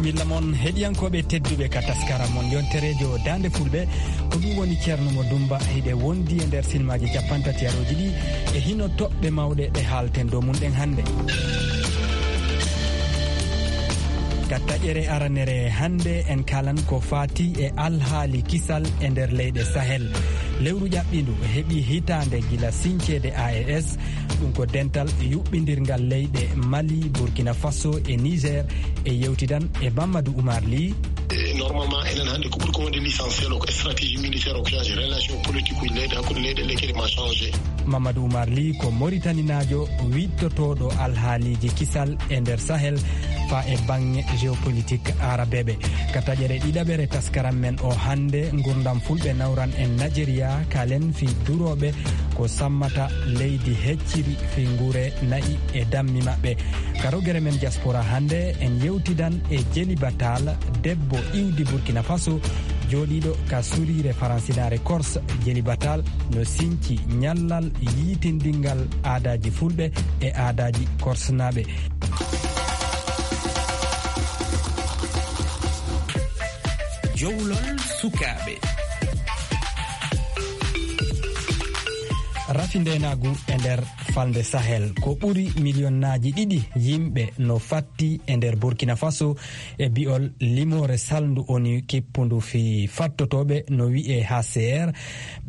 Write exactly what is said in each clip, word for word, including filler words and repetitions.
Billa mon heɗiyankooɓe tedduɓe ka taskara mon yontereejo Daande Fulɓe, ko ɗum woni Ceerno Mo Dumba, hiɗe wondi e nder silmaaji capanɗe tati arooji ɗi e hino toɓɓe mawɗe ɗe haalten dow mum ɗen hannde. Ka taƴere aranere hannde en kalan ko faati e alhaali kisal e nder leyɗe Sahel. Lewru ƴaɓɓindu heɓi hitaande gila sinceede A E S, ɗum ko dental yuɓɓindirngal leyɗe Mali, Burkina Faso e Niger, e yewtidan e Mamadou Oumar Ly. E, normalement, enen hannde ko ɓuri ko wonde l'essentiel o ko stratégie militaire o ko changé, relation politique uji leyɗe hakkunde leyɗe ɗe kadi ma changé. Mamadou Oumar Ly ko Moritaninaajo wiɗtotooɗo alhaaliiji kisal e nder Sahel faa e baŋŋe géopolitique aarabeeɓe. Ka taƴere ɗiɗaɓere taskaram men o hannde, ngurdam fulɓe nawran en Nigeria, kalen fii durooɓe ko sammata leydi hecciri fii nguure na'i e dammi maɓɓe. Ka rogere men diaspora hannde, en yewtidan e Jeliba Taal, debbo iwdi Burkina Faso, jooɗiiɗo ka suriire faransinaare Corse. Jeliba Taal no sinci ñallal yiitindingal aadaaji fulɓe e aadaaji korsnaaɓe. Jowlol sukaaɓe. Rafi ndeenaagu e nder falnde Sahel, ko ɓuri miliyonnaaji ɗiɗi yimɓe no fatti e nder Burkina Faso e bi'ol limoore salndu ONU kippundu fii fattotooɓe no wi'ee H C R.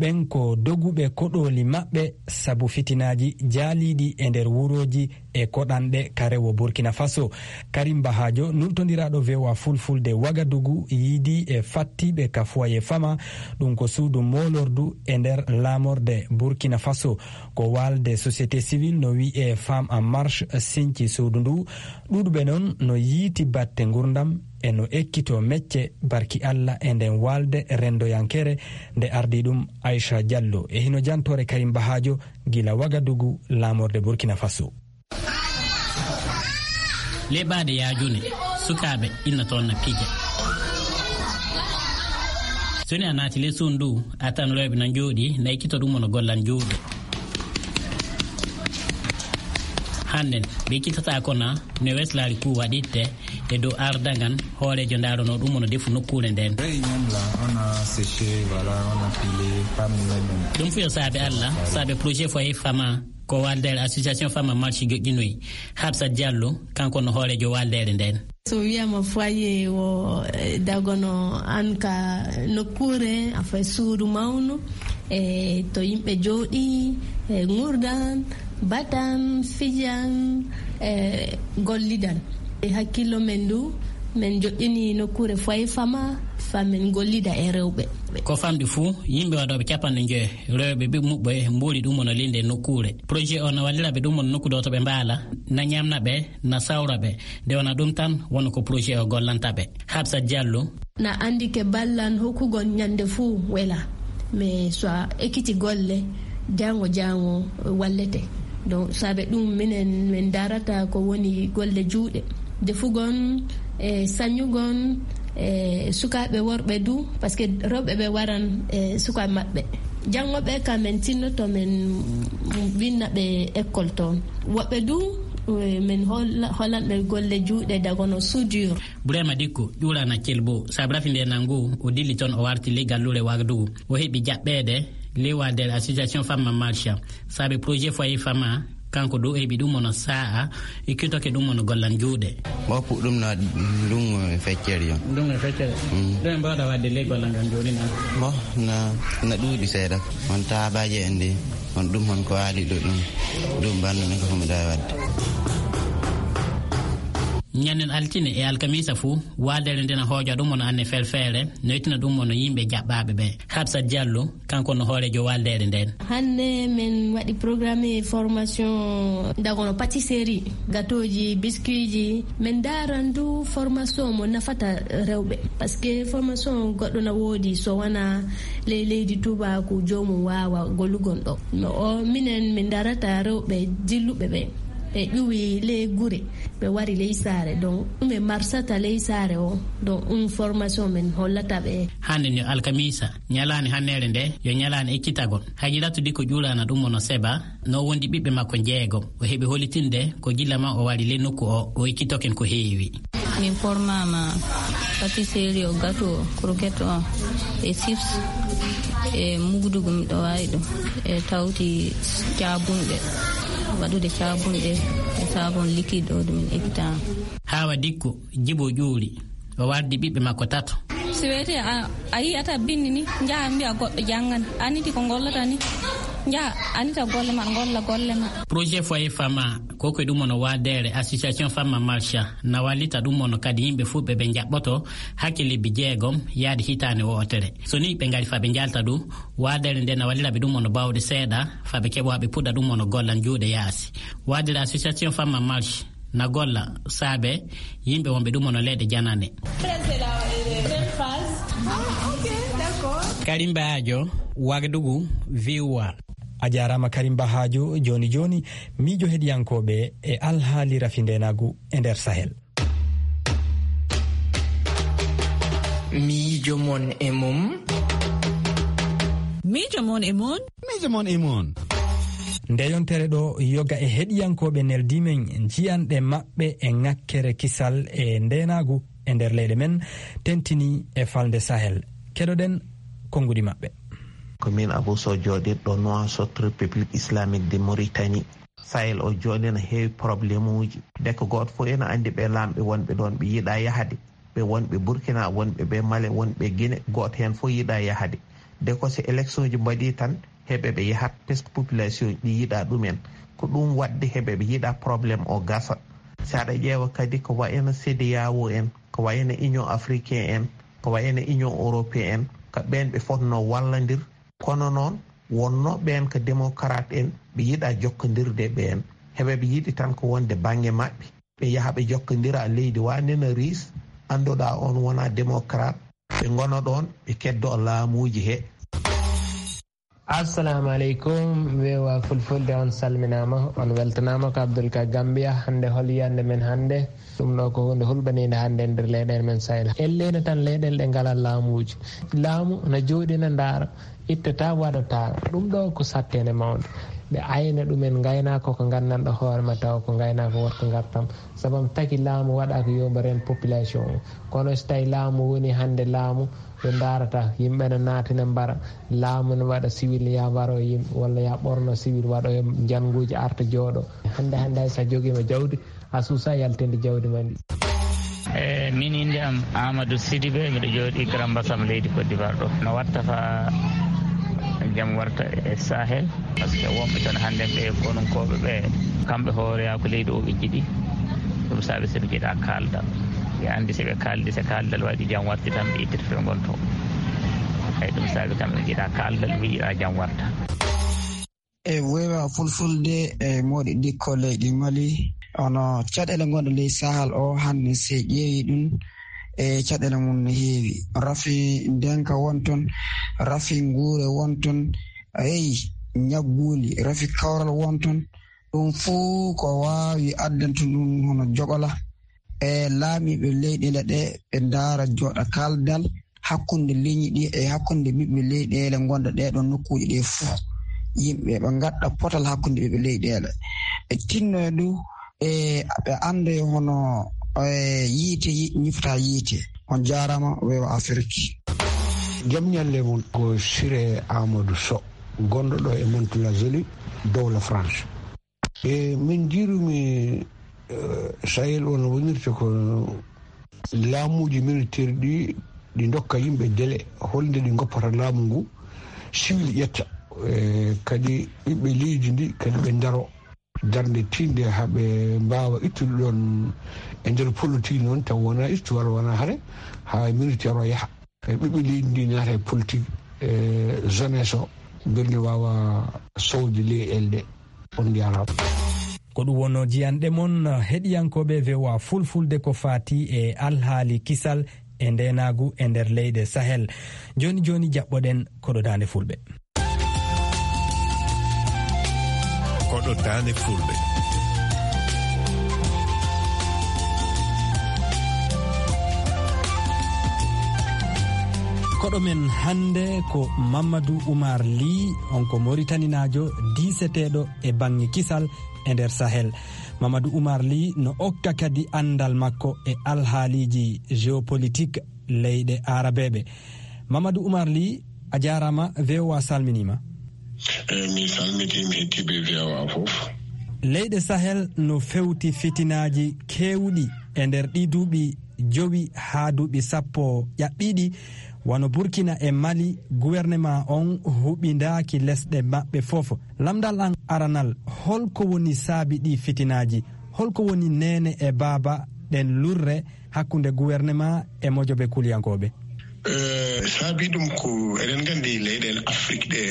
Ɓen ko doguɓe koɗooli maɓɓe sabu fitinaaji jaaliiɗi e nder wurooji e koɗanɗe ka rewo Burkina Faso. Karim Bahajo, nultondiraaɗo V O A Fulfulde Wagadugu, yiidii e fattiiɓe ka Foyer Fama, ɗum ko suudu moolordu e nder laamorde Burkina Faso. Ko waalde société civile no wi'ee Femmes en Marche sinci suudu ndu. Ɗuuɗuɓe non no yiiti batte ngurdam e no ekkitoo mecce barki Alla e nden waalde renndoyankere nde ardii ɗum Aisha Diallo. E hino jantoore Karim Bahajo gila Wagadugu, laamorde Burkina Faso. Leɓaaɗe yaajune, sukaaɓe inna toon na pija. So ni a naati ley suudu ndu, a tan rewɓe na njooɗii, na ekkito ɗum no gollan juuɗe. Hannden, ɓe ekkitataako na, no weslaari kuu waɗitte e dow ardagal hooreejo ndaaronoo ɗum no defu nokkuure nden. Hey, ñam la, on a séché, voilà, on a pilé, pas mis même. Ɗum fuu yo saabe Alla, saabe projet Foyer Fama, ko waaldeere association Femme en Marche joƴƴinoyi. Hafsat Diallo, kanko no hooreejo waaldeere nden. So wiyaama foyer o, eh, dagono an ka nokkuure, a fay suudu mawnu, e to yimɓe jooɗii, e ngurdan, batan, fijan, e gollidan. E hakkillo men ndu, men joƴƴini nokkuure Foyer Fama, faa men gollida e rewɓe. Ko famɗi fuu, yimɓe waɗooɓe capanɗe njoyo, rewɓe ɓe muɓɓe mbooli ɗum no linde nokkuure. Projet o no wallira ɓe ɗum no nokku ɗo to ɓe mbaala, na ñamna ɓe, na sawra ɓe. Nde wona ɗum tan, woni ko projet o gollanta ɓe. Hafsat Diallo. Na anndi ke ballan hokkugol ñande fuu wela, mais so a ekkiti golle, jaango jaango wallete. Donc, saabe ɗum minen min darata ko woni golle juuɗe. Defugol, e sañugol, e sukaaɓe worɓe du, parce que rewɓe ɓe waran, e sukaaɓe maɓɓe. Janngo ɓe ka men tinnoto men winna ɓe école toon. Woɓɓe du, e men holla-, hollan ɓe golle juuɗe dagono soudure. Burema Dikko, ƴuurana Celbo, saabu rafi nde nangu, o dilli toon o warti ley galluure Wagadugu. O heɓi jaɓɓeede ley waaldeere association Femme en Marche. Saabe projet Foyer Fama, kanko du o heɓi ɗum hono sa'a, e kitoke ɗum hono gollan juuɗe. Mo puɗɗum no waɗi ndungu e feccere yon. Ndungu e feccere? Mm. Ɗum en mbawɗa waɗde ley gollal ngal jooni na? Mo na, na ɗuuɗi seeɗa. On taabaaje en de, on ɗum hon ko waali ɗo ɗum. Ɗum banndumi ko mi ɗawi waɗde. Ñannen altine e alkamiisa fuu, waaldeere nde na hooja ɗum hono anne felfeere, noytina ɗum hono yimɓe jaɓɓaaɓe ɓe. Hafsat Diallo, kanko no hooreejo waaldeere nden. Hannde men waɗi programme formation dagono pâtisserie, gâteauji, biscuitji. Men daaran du formation mo nafata rewɓe. Parce que formation goɗɗo na woodi so wona ley leydi Tuubaaku joomum waawa gollugol ɗo. No o, minen min darata rewɓe dilluɓe ɓe. Ɓe ƴuwi ley gure, ɓe wari ley saare. Donc, ɗum ɓe marsata ley saare o. Donc, ɗum formation men hollata ɓe. Hannde ni alkamiisa, ñalaande hanneere nde, yo ñalaande ekkitagol. Hajiratu Dikko ƴuurana ɗum hono Seba, no wondi ɓiɓɓe makko jeegom. O heɓi hollitinde ko gilla ma o wari ley nokku o, o ekkitoken ko heewi. Min pormaama pâtisserie o, gâteau o, croquette o, e chips, e mugdugu miɗo waawi ɗum, e tawti caabunɗe, waɗude caabunɗe e savon liquide o, ɗum min ekkitaama. Haawa Dikko, Jibo Ƴuuri, o wardi ɓiɓɓe makko tato. Si wiyetee a, a yiyata binndi ni, njaha mbiya goɗɗo janngana. Aniti ko ngollata ni, njaha anita golle ma, ngolla golle ma. Projet Foyer Fama, ko ko ɗum on o waadere Association Fama Marcha, na wallita ɗum on kadi yimɓe fuu ɓe ɓe njaɓɓoto hakke lebbi jeegom yaade hitaande wootere. So ni ɓe ngari fa ɓe njalta ɗum, waadere nde na wallira ɓe ɗum on bawɗe seeɗa, fa ɓe keɓa ɓe puɗɗa ɗum on golla juuɗe yaasi. Waadere Association Fama Marcha, na golla saabe yimɓe wonɓe ɗum ono leyɗe janane. Karim Bahajo, Wagadugu, V O A. A jaaraama Karim Bahajo. Jooni jooni, miijo heɗiyankooɓe e alhaali rafi ndeenaagu e nder Sahel. Miijo mon e mum. Miijo mon e mon. Miijo mon e mon. Nde yontere ɗo yoga e heɗiyankooɓe neldi men jiyanɗe maɓɓe e ŋakkere kisal e ndeenaagu e nder leyɗe men, tentini e falnde Sahel. Keɗoɗen konnguɗi maɓɓe. Ko min Abou Sow jooɗirɗo Nouakchott, République Islamique de Mauritanie. Sahel o jooni ene heewi problème uji. Deke gooto fof ene anndi ɓe laamɓe wonɓe ɗoon ɓe yiɗaa yahde. Ɓe wonɓe Burkina, wonɓe ɓe Mali, wonɓe Guinée, gooto heen fof yiɗaa yahde. Deke so élection ji mbaɗii tan, heɓe ɓe yahat, parce que population ɗi yiɗaa ɗumen. Ko ɗum waɗde heɓe ɓe yiɗaa problème o gasa. So aɗa ƴeewa kadi ko wayno CEDEAO en, ko wayno Union Africaine en, ko wayno Union Européenne en, ko ɓeen ɓe fotnoo wallandir. Kono noon, wonnoo ɓeen ko démocrate en, ɓe yiɗaa jokkondirde e ɓeen. Heɓe ɓe yiɗi tan ko wonde bannge maɓɓe. Ɓe yaha ɓe jokkondira leydi wa nena Riis, annduɗaa oon wonaa démocrate. Ɓe ngona ɗoon, ɓe keddoo laamuuji he. Assalamu aleykum, V O A Fulfulde, on salminaama, on weltanaama. Ko Abdoul Ka Gambia. Hannde hol yiyannde men hannde? Ɗum ɗo ko huunde hulɓaniinde hannde e nder leyɗeele men Sahel. Elleende tan leyɗeele ɗe ngalaa laamuuji. Laamu na jooɗii na ndaara, ittataa, waɗataa. Ɗum ɗo ko satteende mawnde. Ɓe ayna ɗumen ngaynaaka ko nganndanɗo hoore ma tawa ko ngaynaaka worko ngartam. Sabu taki laamu waɗaaka yo mbo reen population o. Kono so tawi laamu woni hannde laamu, ɓe ndaarata yimɓe ne naatina mbara. Laamu ne waɗa civil ya mbaro yimɓe, walla ya ɓorno civil waɗo e njannguuji arta jooɗo. Hannde, hannde hay so a jogiima jawdi, a suusa yaltinde jawdi ma ndi. E min innde am Amadou Sidibé, miɗo jooɗi Grand Bassam leydi Côte d'Ivoire ɗo. No watta fa jam warta e Sahel, parce que wonɓe toon hannden ɓe konunkooɓe ɓe, kamɓe hooreyaa ko leydi o ɓe njiɗi. Ɗum saabi so ɓe njiɗaa kaaldal. Ɓe anndi so ɓe kaaldi, so kaaldal waɗi jam warti tan ɓe ittitoto ɓe ngonto. Eyi, ɗum saabi kamɓe ɓe njiɗaa kaaldal, ɓe njiɗaa jam warta. E weewa fulfulde e moɗi dikko leydi Mali, ono caɗeele ngonɗe ley Sahel o hannde, se ƴeewi ɗum, e caɗeele mum no heewi. Rafi ndenka won toon, rafi nguure won toon, eyi, ñagguli, rafi kawral won toon. Ɗum fuu ko waawi addante ɗum hono jogola. E laamiiɓe leyɗeele ɗe, ɓe ndaara jooɗa kaaldal hakkunde leñi ɗi e hakkunde ɓiɓɓe leyɗeele ngonɗe ɗee ɗoon nokkuuji ɗee fuu. Yimɓe ɓe ngadda potal hakkunde ɓiɓɓe leyɗeele. Ɓe tinno e ɗum, e ɓe annda e hono, e yiite yi-, ñifata yiite. On jaaraama, weewa Afirki. Jam ñalle mon, ko Siré Amadou Sow, gonɗo ɗo e Mantes-la-Jolie, dowla France. E min njiirumi, eh, Sahel o no wonirta ko laamuuji militaire ɗi, ɗi ndokka yimɓe délai, holnde ɗi ngoppata laamu ngu, civil ƴetta, eh, kadi ɓiɓɓe leydi ndi, kadi ɓe ndaro darnde tiiɗnde haa ɓe mbaawa ittude ɗoon e nder politique noon, taw wonaa histoire, wonaa hare, haa militaire o yaha. E ɓiɓɓe leydi ndi naata e politique, e jeunesse o, mbele waawa sowde leyɗeele ɗe. On njaaraama. Ko ɗum wonno jiyanɗe mon, heɗiyankooɓe V O A Fulfulde, ko faati e alhaali kisal e ndeenaagu e nder leyɗe Sahel. Jooni jooni jaɓɓoɗen koɗo Daande Fulɓe. Koɗo Daande Fulɓe. Koɗo men hannde ko Mamadou Oumar Ly, on ko Moritaninaajo diiseteeɗo e baŋŋe kisal e nder Sahel. Mamadou Oumar Ly no okka kadi anndal makko e alhaaliiji géopolitique leyɗe aarabeeɓe. Mamadou Oumar Ly, a jaaraama, V O A salminiima. Eh, mi salmitiima heɗtiiɓe V O A fof. Leyɗe Sahel no fewti fitinaaji keewɗi e nder ɗii duuɓi jowi haa duuɓi sappo ƴaɓɓiiɗi, wano Burkina e Mali, gouvernement on huɓindaaki lesɗe maɓɓe fof. Lamndal an aranal, holko woni saabi ɗii fitinaaji? Holko woni neene e baaba ɗen lurre hakkunde gouvernement e mojobe kuliyankooɓe? Eh, saabi ɗum ko eɗen nganndi leyɗeele Afrik ɗe,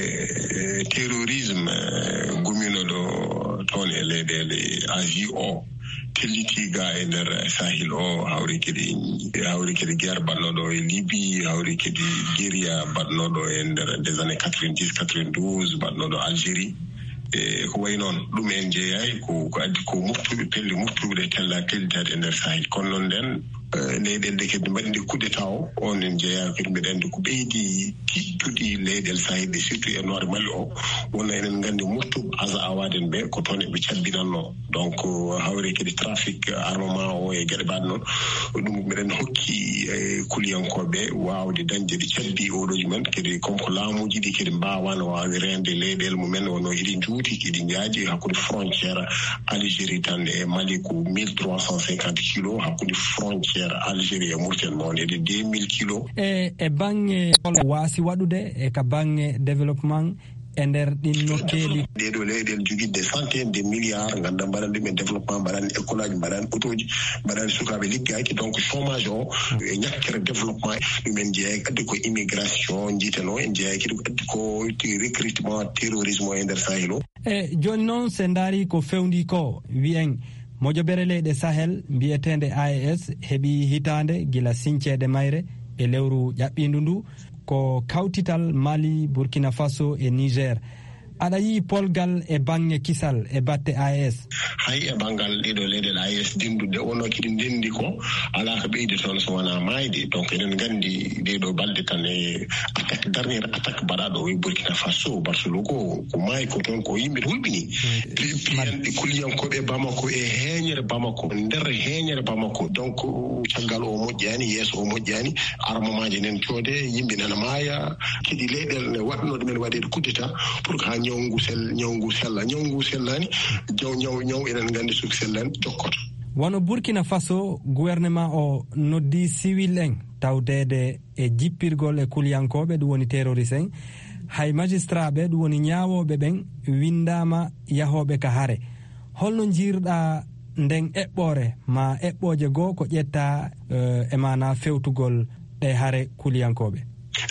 eh, terrorisme, eh, gumino ɗo toon e leyɗeele Asie o, telliti ga e nder Sahel o, hawri kadi, hawri kadi guerre baɗnoɗo e Libye, hawri kadi guérilla baɗnoɗo e nder des années quatre-vingt-dix, quatre-vingt-douze, baɗnoɗo Algérie. E ko wayi noon, ɗum en jeeyaay ko, ko addi ko moftuɓe, pelle moftuɓe ɗe tella, tellitaade e nder Sahel. Kono noon nden, eh, leyɗeele ɗe kadi mbaɗi nde coup d'état o, on en jeeyaay kadi, mbeɗa anndi ko ɓeydi tiiɗtude leyɗeele Sahel ɗe, surtout e Nord Mali o, wonno eɗen nganndi moftuɓe Aza Awaden ɓe, ko toon eɓe cabbinannoo. Donc, hawri kadi trafic armement o e geɗe mbaɗe noon, ɗum mbeɗen hokki, eh, kuliyankooɓe waawde dañde ɗi cabbi oɗooji men, kadi comme ko laamuuji ɗi kadi mbaawano waawi reende leyɗeele mumen, wonno iɗi njuuti, iɗi njaaji hakkunde frontière Algérie tan e Mali ko mille trois cent cinquante kilos, hakkunde frontière Algérie e Mauritanie noon e deux mille kilos. E, e baŋŋe hol waasi waɗude e ka baŋŋe développement e nder ɗin nokkeeli? Ɗee ɗoo leyɗeele jogiiɗe des centaines de milliards, nganndaa mbaɗan ɗum en développement, mbaɗan école aji, mbaɗan autoji, mbaɗan sukaaɓe liggaaki. Donc chômage o e ñakkere développement, ɗum en jeeyaaki, addi ko immigration, njiiteno en jeeyaaki, ɗum addi ko recrutement terrorisme o e nder Sahel o. E jooni noon, se ndaari ko fewndi ko, wi'en mojobere leyɗe Sahel mbiyeteende A E S heɓi hitaande gila sinceede mayre e lewru ƴaɓɓiindu ndu, ko kawtital Mali, Burkina Faso e Niger. Aɗa yi'i polgal e baŋŋe kisal e batte A E S? Hay e banngal ɗiɗo leyɗeele A E S denduɗe, wonno kiɗi ndendi ko, alaa ko ɓeydi toon so wonaa maayde. Donc eɗen nganndi ɗee ɗoo balɗe tan e attaque, dernière attaque mbaɗaaɗo o e Burkina Faso, Barcelone ko, ko maayi ko toon, ko yimɓe hulɓini. Pi-, piyanɗe kuliyankooɓe Bamako e heeñere Bamako, nder heeñere Bamako. Donc caggal o moƴƴaani, yeeso o moƴƴaani, armement ji nen coode, yimɓe nana maaya, kadi leyɗeele ne waɗno ɗumen waɗeede coup d'état pour que haa ñaw ngu sel-, ñaw ngu sella. Ñaw ngu sellaani, ñaw, ñaw, ñaw eɗen nganndi so sellani jokkoto. Wano Burkina Faso, gouvernement o noddi civil en tawdeede e jippirgol e kuliyankooɓe, ɗum woni terroriste en. Hay magistrat ɓe, ɗum woni ñaawooɓe ɓen, winndaama yahooɓe ka hare. Holno njiirɗa nden eɓɓoore, ma eɓɓooje goo ko ƴetta, eh, e maana fewtugol ɗe hare kuliyankooɓe?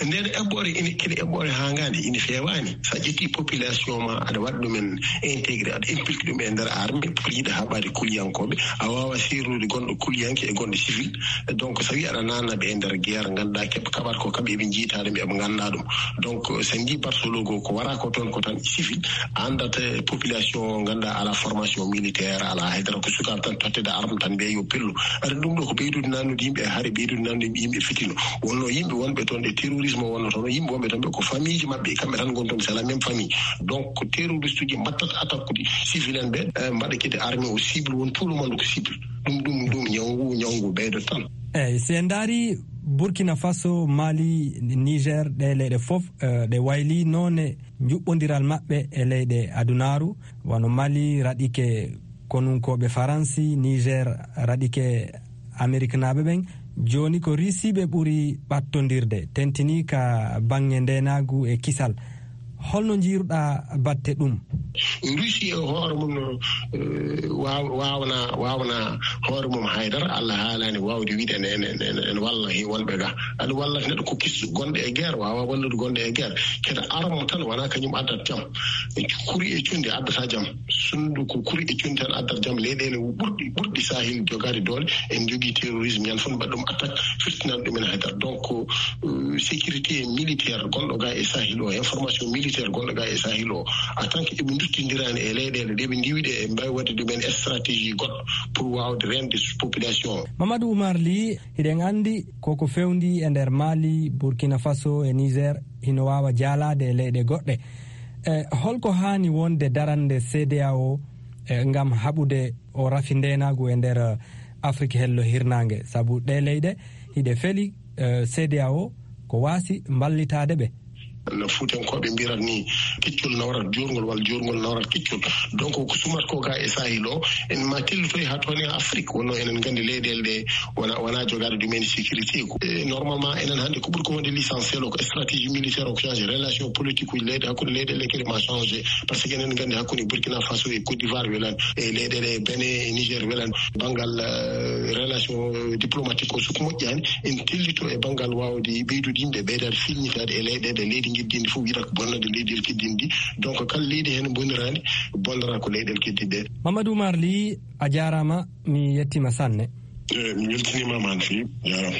Nden eɓɓoore ina, kadi eɓɓoore hangaande, ina feewaani. So a ƴetti population ma, aɗa waɗa ɗumen intégré, aɗa impliqué ɗum e nder armée, pour yiɗa haɓaade kuliyankooɓe, a waawa seernude gonɗo kuliyanke e gonɗo civil. Donc so a wi aɗa naatna ɓe e nder guerre, ngannduɗaa keɓ-, kaɓat ko kamɓe eɓe njiytaa ɗum, eɓe ngannda ɗum. Donc so en njii Barcelone ko, ko wara ko toon, ko tan civil, a anndat, eh, population o, ngannduɗaa alaa formation militaire, alaa haydara, ko sukaaɓe tan tottede arme tan mbiya yo pellu. Aɗa ɗum ɗo ko ɓeydude nannude yimɓe e hare, ɓeydude nannude yimɓe fitino. Wonno yimɓe wonɓe toon e terrorisme wonno toon, yimɓe wonɓe toon ɓe ko famille ji maɓɓe, kamɓe tan ngoni toon, c'est la même famille. Donc ko terroriste uji mbattat attaque uji civil en ɓe, eh, mbaɗa kadi armée o cible, won tout le monde ko cible. Ɗum, ɗum, ɗum ñawngu, ñawngu ɓeydo tan. Eyyi, si en ndaari Burkina Faso, Mali, Niger, ɗe leyɗe fof, eh, ɗe wayli noone njuɓɓondiral maɓɓe e leyɗe adunaaru, wano Mali raɗike konunkooɓe Faransi, Niger raɗike Ameriknaaɓe ɓen. Jooni ko Risiiɓe ɓuri ɓattondirde, tentini ka baŋŋe ndeenaagu e kisal. Holno njiiruɗaa batte ɗum? Russie e hoore mum no, eh, waaw-, waawna, waawna hoore mum haydara. Allah haalaani waawde wiide ene, ene, ene, ene walla he wonɓe ga. Aɗa walla neɗɗo ko kistu gonɗo e guerre, waawa wallude gonɗo e guerre. Kede arme tan wona kañum addat jam. Kuri e cundi addata jam. Sundu ko kuri e cundi tan addat jam. Leyɗeele ɓurɗi, ɓurɗi Sahel jogaade doole, en jogii terrorisme, ñande fof mbaɗa ɗum attaque, firtinan ɗumen haydara. Donc, euh, sécurité militaire gonɗo ga e Sahel o, information militaire gonɗo ga e Sahel o, en tant que eɓe duttindirani e leyɗeele ɗe ɓe ndiwiɗe, e mbawi waɗde ɗumen stratégie goɗɗo pour wawde rende population o. Mamadou Oumar Ly, hiɗen andi koko fewndi e nder Mali, Burkina Faso e Niger, hino wawa jaalade e leyɗe goɗɗe. E holko haani wonde darande C D A O eh, ngam haɓude o rafi ndeenaagu e nder, eh, Afrik hello hirnaange, sabu ɗee leyɗe hiɗe feli, eh, C D A O ko waasi mballitaade ɓe. No Fuutankooɓe mbirat ni, keccol nawrat juurngol walla juurngol nawrat keccol. Donc, ko sumat ko ga e Sahil o, en ma tellitoy haa toon e Afrik, wonno enen nganndi leyɗeele ɗe wona, wona jogaade ɗumen sécurité ko. E, normalement, enen hannde ko ɓuri ko wonde l'essentiel o, ko stratégie militaire o, ko changé relation politique uji leyɗe, hakkunde leyɗeele kadi ma changé. Parce que enen nganndi hakkunde Burkina Faso e Côte d'Ivoire welan, e leyɗeele Benin e Niger welan. Banngal, eh, relation diplomatique o, so ko moƴƴaani, en tellito e banngal waawde ɓeydude yimɓe, ɓeydaade filñitaade e leyɗeele, leydi ngiddindi fof wiɗa ko bonnande leydi el kiddindi. Donc, kala leydi heen boniraani, bonnora ko leyɗeele kiddinde. Mamadou Oumar Ly, a jaaraama, mi yettiima sanne. Eh, mi weltiniima ma no feewi, jaaraama.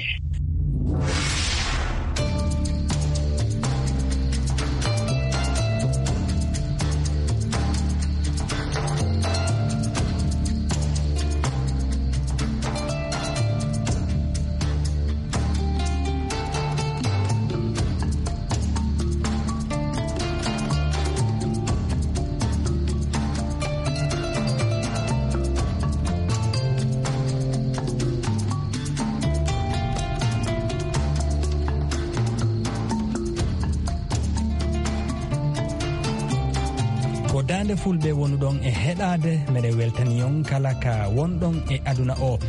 Ko Daande Fulɓe wonuɗon e heɗaade, meɗen weltani on kala ka wonɗon e aduna o.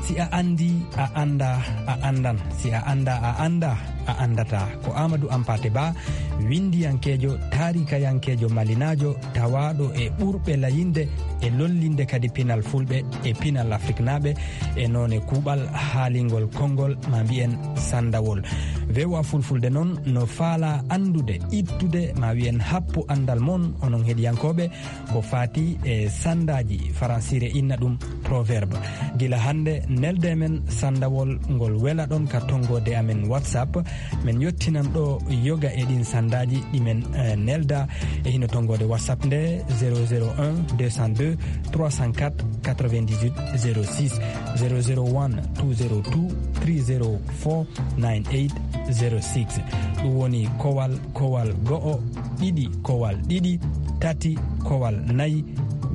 Si a anndi, a annda, a anndan. Si a annda, a annda, a anndata. Ko Amadou Ampate Ba, winndiyankeejo, taarikayankeejo malinaajo, tawaaɗo e ɓurɓe layinde e lollinde kadi pinal Fulɓe e pinal Afriknaaɓe e noone kuuɓal haalingol konngol, ma mbiyen sanndawol. V O A Fulfulde noon no faalaa anndude, ittude, ma wiyen happu anndal mon, onon heɗiyankooɓe, ko faati e sanndaaji, faransiire inna ɗum proverbe. Gila hannde, nelde men sanndawol ngol welaɗon ka tonngoode amen WhatsApp. Men yottinan ɗo yoga e ɗin sanndaaji ɗi men, eh, nelda e hino tonngoode WhatsApp nde, zéro zéro un deux cent deux trois cent quatre quatre-vingt-dix-huit zéro six, zéro zéro one two zéro two three zéro four nine eight zéro six. Ɗum woni kowal, kowal go'o, ɗiɗi, kowal ɗiɗi, tati, kowal nayi,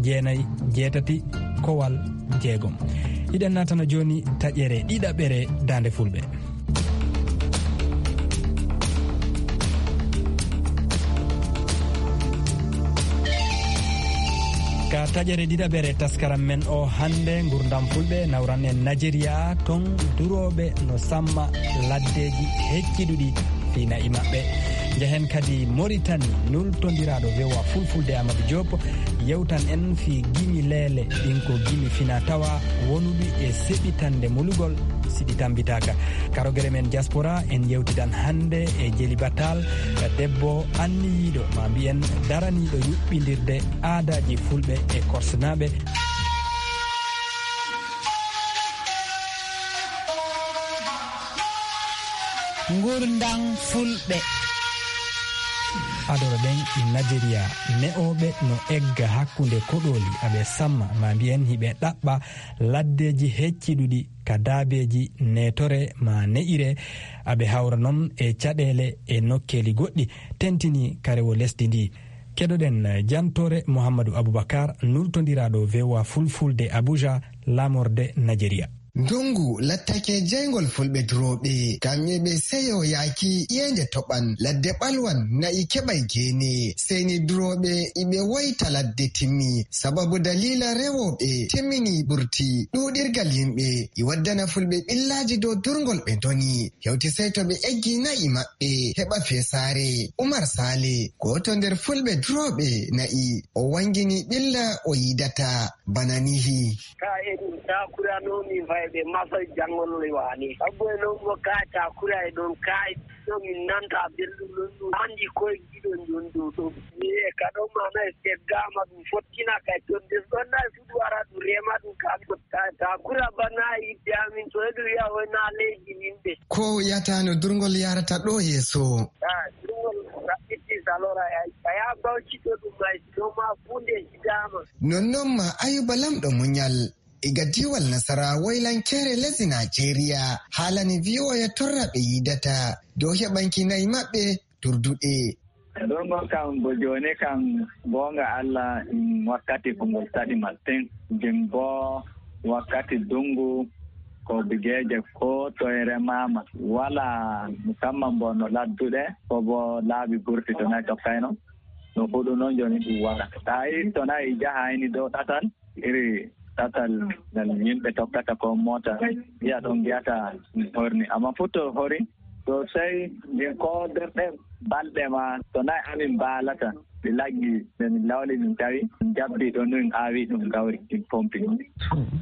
jeenayi, jeetati, kowal jeegom. Hiɗen naatana jooni taƴere ɗiɗaɓere Daande Fulɓe. Ka taƴere ɗiɗaɓere taskaram men o hannde, ngurdam Fulɓe nawran en Najeriya, ton durooɓe no samma laddeeji hecciɗuɗi fii na'i maɓɓe. Njahen kadi Moritani, nultondiraaɗo V O A Fulfulde Amadou Diop yewtan en fii gimi leele, ɗin ko gimi fina tawa wonuɗi e seɓitande mulugol si ɗi tambitaaka. Karogere men diaspora, en yewtidan hannde e Jeli Batal, debbo anniyiiɗo, ma mbiyen daraniiɗo yuɓɓindirde aadaaji Fulɓe e Korsenaaɓe. Ngurndam Fulɓe. Adoro ɗen Najeriya, ne'ooɓe no egga hakkunde koɗooli, aɓe samma, ma mbiyen hiɓe ɗaɓɓa laddeeji hecciɗuɗi ka daabeeji neetore ma ne'ire, aɓe hawra non e caɗeele e nokkeeli goɗɗi, tentini ka rewo lesdi ndi. Keɗoɗen jantoore Mouhamadou Aboubacar, nultondiraaɗo V O A Fulfulde Abuja, laamorde Najeriya. Ndungu lattake jeyngol Fulɓe durooɓe, kam eɓe seyo yaaki ƴeende toɓan, ladde ɓalwan, na'i keɓay geene. Seyni durooɓe iɓe woyta ladde timmi, sababu daliila rewooɓe timmini ɓurti. Ɗuuɗirgal yimɓe i waddana Fulɓe ɓillaaji dow durngol ɓe ndoni. Hewti sey to ɓe eggi na'i maɓɓe heɓa feesaare. Umar Sale, gooto nder Fulɓe durooɓe na'i, o wangini ɓilla o yiidata bana nihi. Ka e ɗum takurano min fayɓe masa janngol waane. Abbo e non mo ka takura e ɗon ka e ɗo min nanta belɗum non ɗum. Andi koye giɗo njon dow ɗo. Mi e ka ɗon mana e seggama ɗum fottina kay ton des ɗon na sudu ara ɗum rema ɗum ka ka takura bana yidde amin to e ɗum wiya o na leydi min ɓe. Ko yatano durngol yarata ɗo yeeso. Ah, durngol raɓɓiti salora ya. Ka ya bawci to ɗum may ɗo ma funde hidama. Nonnon ma Ayuba Lamɗo Muñal, iga diiwal Nasara woylankeere lesdi Najeriya, haalani V O A torra ɓe yiidata dow heɓanki na'i maɓɓe durduɗe. Ngol kam bo jooni kam, goonga Allah, mm, wakkati ko ngol saɗi masin. Ngim bo wakkati dungu ko bigeeje ko toye remaama. Wala musamman bo no ladduɗe, ko bo laabi burti to nayi tokkayno. No huɗu noon jooni ɗum wala. Tawi to nayi jahayni dow ɗatal, iri ɗatal ngal yimɓe tokkata ko moota, yiya ɗon ngiyata horni. Amma fof to hori, to sey ndin ko nder ɗe balɗe ma, to nayi amin mbaalata, ɗi laggi, nde min lawli min tawi, jabbi ɗo nun aawi ɗum gawri, ɗin pompi ɗum.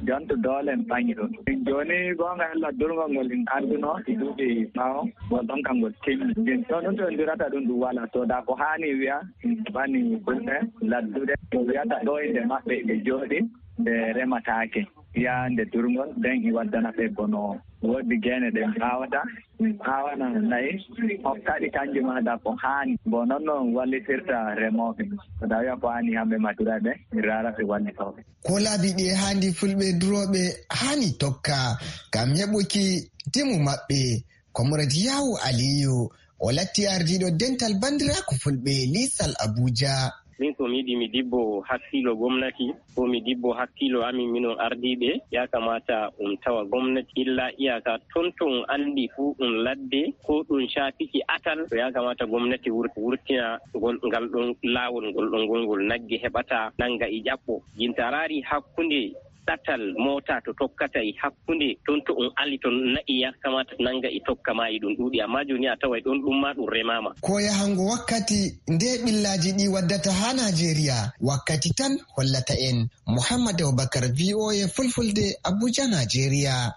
Jonto doole en ɓaŋi ɗum. Min jooni goonga Allah durngol ngol in adduno, ɗi duuɓi ɓaawo, ngol ɗon kam ngol timmi. Min ɗon ɗum to en durata ɗum ɗum wala. To da ko haani wiya, min ɓani fulɓe ladduɗe. Ko wiyata ɗo inde maɓɓe ɓe jooɗi, ɓe remataake. Yaa nde durngol, nden i waddana ɓe bono woɗɗi geene ɗe mi aawata. Mi aawana nayi, hokkaɗi kanji ma da ko haani. Bo non non wallitirta remooɓe. Ko da wiya ko haani hamɓe ma duraɓe, mi raara ɓe wallitooɓe. Ko laabi ɗi e haandi fulɓe durooɓe haani tokka ngam heɓuki dimu maɓɓe. Comrade Yawu Aliyu, o latti ardiiɗo dental bandiraaku fulɓe liisal Abuja. Min ko mi yiɗi, mi dibbo hakkiilo gomnati, ko mi dibbo hakkiilo amin, minon ardiiɓe, ya kamata um tawa gomnati illa iyaka ton to um anndi fuu ɗum ladde, ko ɗum caafiki atal, to ya kamata gomnati wur-, wurtina ngol, ngal ɗon laawol, ngol ɗon ngol, ngol nagge heɓata nanga e ƴaɓɓo. Jinta raari hakkunde ɗatal moota to tokkata e hakkunde, ton to um ali ton na'i ya kamata nanga e tokka ma e ɗum ɗuuɗi, amma jooni a taway ɗon ɗum ma ɗum remaama. Ko yahango wakkati nde ɓillaaji ɗi waddata haa Naajeeriya, wakkati tan hollata en. Muhammad Abubakar, V O A Fulfulde, Abuja, Naajeeriya.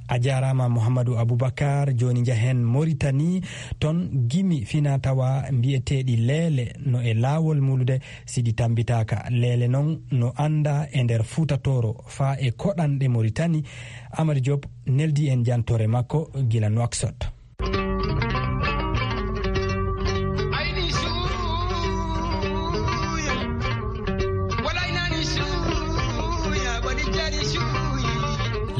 A jaaraama, Muhammadu Abubakar. Jooni njahen Moritani, ton gimi finaa-tawaa mbiyeteeɗi Leele no e laawol mulude, si ɗi tammbitaaka. Leele non no anndaa e nder Fuuta Tooro, faa e koɗanɗe Moritani. Amadu Joop neldi en jantoore makko gila Nouakchott.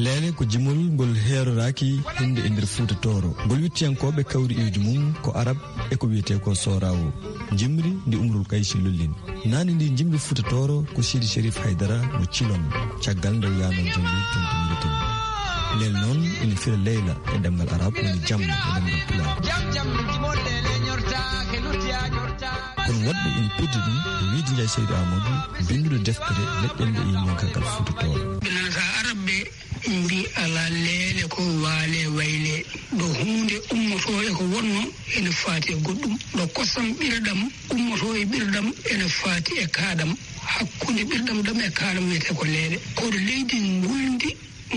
Leele ko jimol ngol heeroraaki hinde e nder Fuuta Tooro. Ngol wittiyankooɓe kawri iwdi mum ko Arab e ko wiyetee ko Soorawo. Jimri ndi Umrul Kaysi lollini. Naane ndi jimri Fuuta Tooro ko Sidi Cherif Haydara mo Cilon, caggal nde o yaanoo jimri tontu Muritani. Leele noon ina fira Leyla e ɗemngal Arab, woni jamma e ɗemngal Pulaar. Kono woɗɓe ina pirdi ɗum e wiyde Njaay Saydu Aamadu, binnduɗo deftere Leƴƴannde e yimyankaagal Fuuta Tooro. Ɓe nanata Arab ɓe mbi alaa leele ko waale wayle, ɗo huunde ummotoo e ko wonnoo ene faati e goɗɗum, ɗo kosam ɓirɗam ummotoo e ɓirɗam ene faati e kaaɗam, hakkunde ɓirɗam ɗam e kaaɗam wiyetee ko leele. Koɗo leydi ngulndi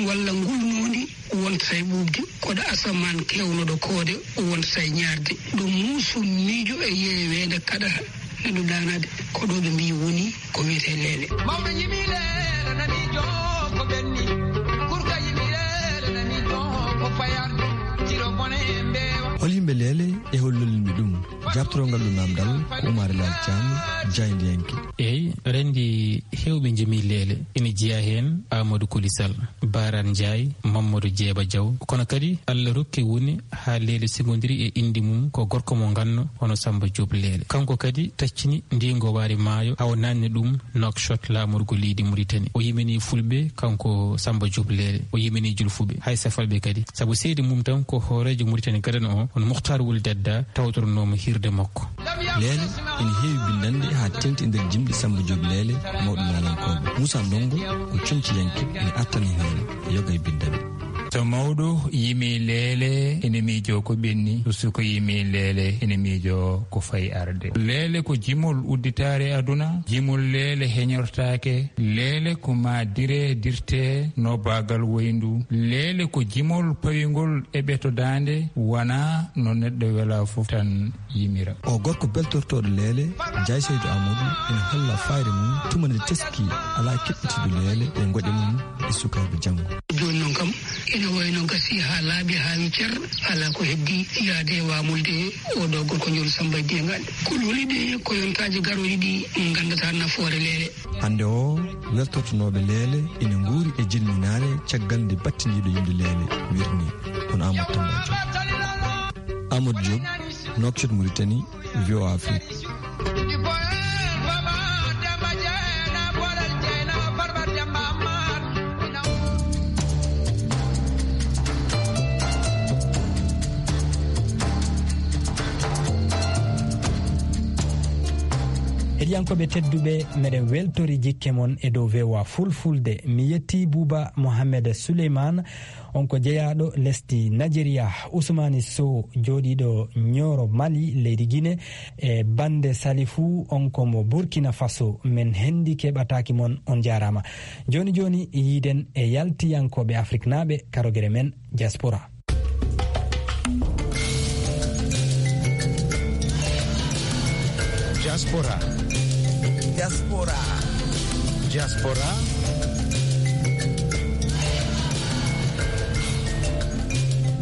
walla ngulnoondi wontata e ɓuuɓde, koɗo asamaan keewnoɗo koode wontata e ñaarde, ɗo muuso miijo e yeeweende kaɗata neɗɗo daanaade, ko ɗo ɓe mbii woni ko wiyetee leele. Mawɓe njimi leele nani joo ko ɓenni, kurka njimi leele nani joo ko payarde, tiro bone e mbeewa. Hol yimɓe leele e hol lollinɓe ɗum? Jaaɓtorongal ɗum naamndal ko Umaar Laal Caam, jaayndiyanke. Eey, renndi heewɓe njimi leele. Ina jeyaa heen Amadou Koli Sall, Baran Njaay, Mamadou Jeeba Jaw. Kono kadi Allah rokki woni haa leele sigodiri e innde mum ko gorko mo nganno hono Samba Diop Leele. Kanko kadi taccini ndii ngowaari maayo, hawa naatni ɗum Nouakchott, laamorgo leydi Muritani. O yimini fulɓe, kanko Samba Diop Leele. O yimini julfuɓe, hay safalɓe kadi. Sabu seede mum tan ko hooreejo Muritani gadano o, hono Mukhtar Wul Dadda, tawtoronoomo hirde makko. Leele ina heewi binndannde haa teeŋti e nder jimɗi Samba Diop Leele, mawɗo naalankooɓe. Moussa Ndongo ko coñciyanke, ina attani heen yoga e binndannde. So mawɗo yimi leele, ene miijoo ko ɓenni. So suka yimi leele, ene miijoo ko fayi arde. Leele ko jimol udditaare aduna. Jimol leele heñortaake. Leele ko maa diree dirtee no baagal woyndu. Leele ko jimol pawingol e ɓeto daande, wonaa no neɗɗo welaa fof tan yimira. O gorko beltortooɗo leele, Njaay Saydu Aamadu, ina holla fayre mum tuma nde teski alaa keɓɓitiiɗo leele e ngoƴa mum e sukaaɓe janngo. Jooni noon kam, ina wayno gasii haa laaɓi haa wi cer, alaa ko heddii yaade e waamulde e oo ɗoo gorko njool Samba Dieng. Ko loli ɗe ko yontaaji garooji ɗi nganndataa nafoore leele. Hannde o, weltortonooɓe leele ina nguuri e jilminaare caggal nde battindiiɗo yimde leele wirni, kono Amadou Tamba Diop. Amadou Diop, Nouakchott, Mauritanie, V O A Afrique. Heɗiyankooɓe tedduɓe, meɗen weltori jikke mon e dow V O A Fulfulde. Mi yetti Buuba Mohamed Suleyman, on ko jeyaaɗo lesdi Najeriya, Usmani Sow, jooɗiiɗo Ñooro Mali, leydi Gine, e Bande Salifu, on ko mo Burkina Faso. Men henndike ɓataaki mon, on jaaraama. Jooni jooni, yiiden e yaltiyankooɓe Afriknaaɓe, karogere men, Diaspora. Diaspora. Diaspora. Diaspora.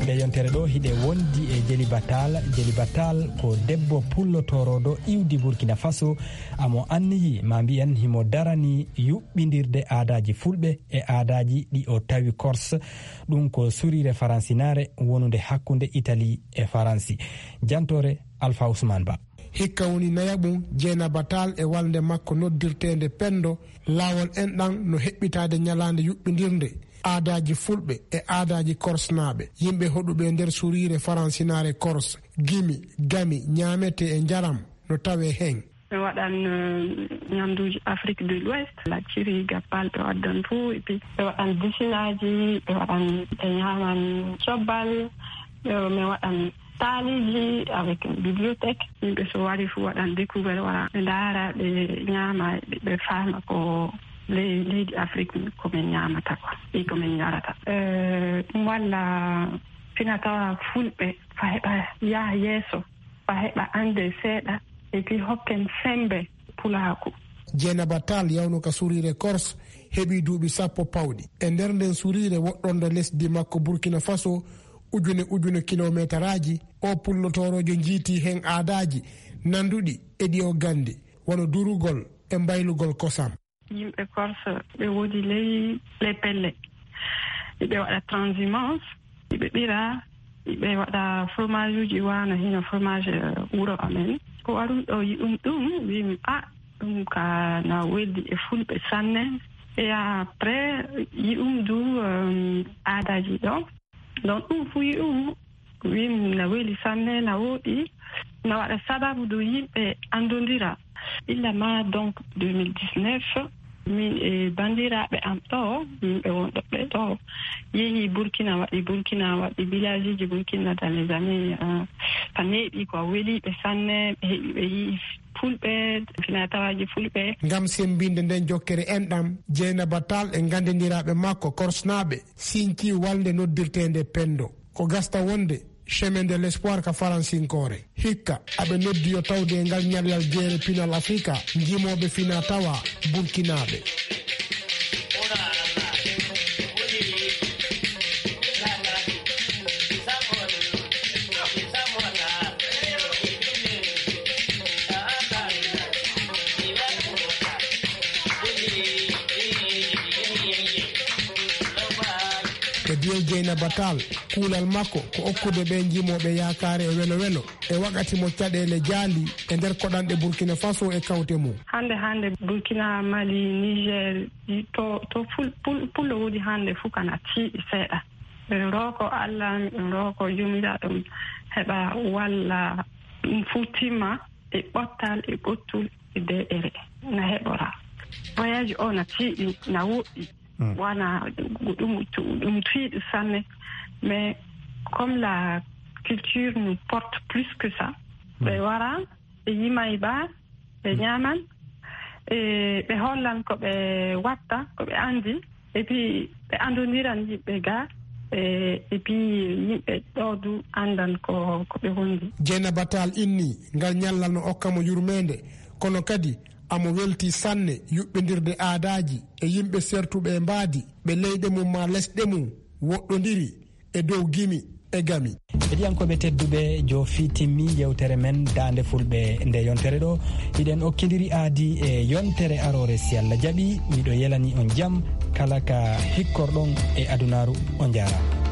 Nde yontere ɗo hiɗe wondi e Jeli Batal. Jeli Batal ko debbo pullo toroɗo iwdi Burkina Faso. Amo anniyi, ma mbiyen himo darani yuɓɓindirde aadaaji fulɓe e aadaaji ɗi o tawi Corse. Ɗum ko surire faransinaare wonunde hakkunde Italie e Faransi. Jantore Alpha Ousmane Ba. Hikka woni nayaɓum Jeynaba Tall e walnde makko noddirteende Pendo, laawol en ɗan no heɓɓitaade ñalaande yuɓɓindirnde aadaaji fulɓe e aadaaji korsnaaɓe. Yimɓe hoɗuɓe e nder suriire faransinaare Corse, gimi, gami, ñaamete e njaram no tawee hen. Ɓe waɗan, eh, ñamduuji Afrique de l'Ouest, lacciri, gappal ɓe waddan fuu, et puis ɓe waɗan businaaji, ɓe waɗan, ɓe ñaaman cobbal, ɓe, ɓe waɗan taaliiji avec une bibliothèque. Yimɓe so wari fuu waɗan découvert, wara ɓe ndaara, ɓe ñaama, ɓe, ɓe faama ko ley-, leydi Afrique ko min ñaamata ko, e ko min ñarata. Eh, ɗum walla fina tawa fulɓe fa heɓa yaha yeeso, fa heɓa annde seeɗa, et puis hokken sembe pulaaku. Jeynaba Tall yawno ka suriire Corse heɓi duuɓi sappo pawɗi. E nder nden suriire woɗɗonde lesdi makko Burkina Faso ujune ujune kilomeetaraaji, o pullotoorojo jiiti hen aadaaji nanduɗi e ɗi o gandi, wano durugol e mbaylugol kosam. Yimɓe Corse ɓe woodi ley, ley pelle. Ɓe waɗa transhumance, ɓe ɓira, ɓe waɗa fromage uji wano hino fromage, eh, wuro amen. Ko warum ɗo yi'um ɗum, wi'um, "Ah, ɗum ka na weldi e fulɓe sanne." Et après, yi'um du, eh, aadaji ɗo. Donc, ɗum fu yi'um, wi'um na weli sanne, na woɗi, na waɗa sababu du yimɓe andondira. Illa ma, donc, deux mille dix-neuf, min e bandiraɓe am ɗo, yimɓe wonɓe ɓe ɗo, yehi Burkina, waɗi Burkina, waɗi villageji Burkina dans les années, euh, ka neeɓi ko weliɓe sanne, ɓe heɓi, ɓe yi'i fulɓe, fina tawaaji fulɓe. Ngam sembinde nden jokkere enɗam, Jeynaba Tall e gandindiraaɓe makko korsnaaɓe sinci walnde noddirteende Pendo. Ko gasta wonde Chemin de l'Espoir ka faransinkoore. Hikka, aɓe noddi yo tawde e ngal ñallal jeere pinal Afrika, njimooɓe fina tawa Burkinaaɓe. E biyol Jeynaba Tall, kuulal makko ko okkude ɓe njimooɓe yaakaare e welo welo e wakati mo caɗeele jaali e nder koɗanɗe Burkina Faso e kawte mum. Hande hande Burkina, Mali, Niger, to, to ful-, pul-, pullo woodi hande fu kana tiiɗi seeɗa. Miɗo rooko Allah, miɗo rooko Joomiraaɗo ɗum heɓa walla ɗum fu timma e ɓottal, e ɓottul, e deeƴere na heɓora. Voyage o na tiiɗi, na woɗɗi. Mm. Wana ɗum, ɗum, ɗum tiiɗi sanne. Mais comme la culture nous porte plus que ça, ɓe wara, ɓe yimay ba, ɓe ñaaman, e ɓe hollan ko ɓe watta, ko ɓe andi, et puis ɓe andondiran yimɓe ga, e, et puis yimɓe ɗo du andan ko, ko ɓe wondi. Jeynaba Tall inni ngal ñallal no okka mo yurmeende, kono kadi amo welti sanne yuɓɓindirde aadaaji e yimɓe sertuɓe e mbaadi, ɓe leyɗe mum ma lesɗe mum woɗɗondiri e dow gimi e gami. Heɗiyankooɓe tedduɓe, joofi timmi yewtere men Daande Fulɓe nde yontere ɗo. Hiɗen okkindiri aadi e yontere aroore, si Allah jaɓi. Miɗo yelani on jam kala ka hikkorɗon e adunaaru. On jaaraama.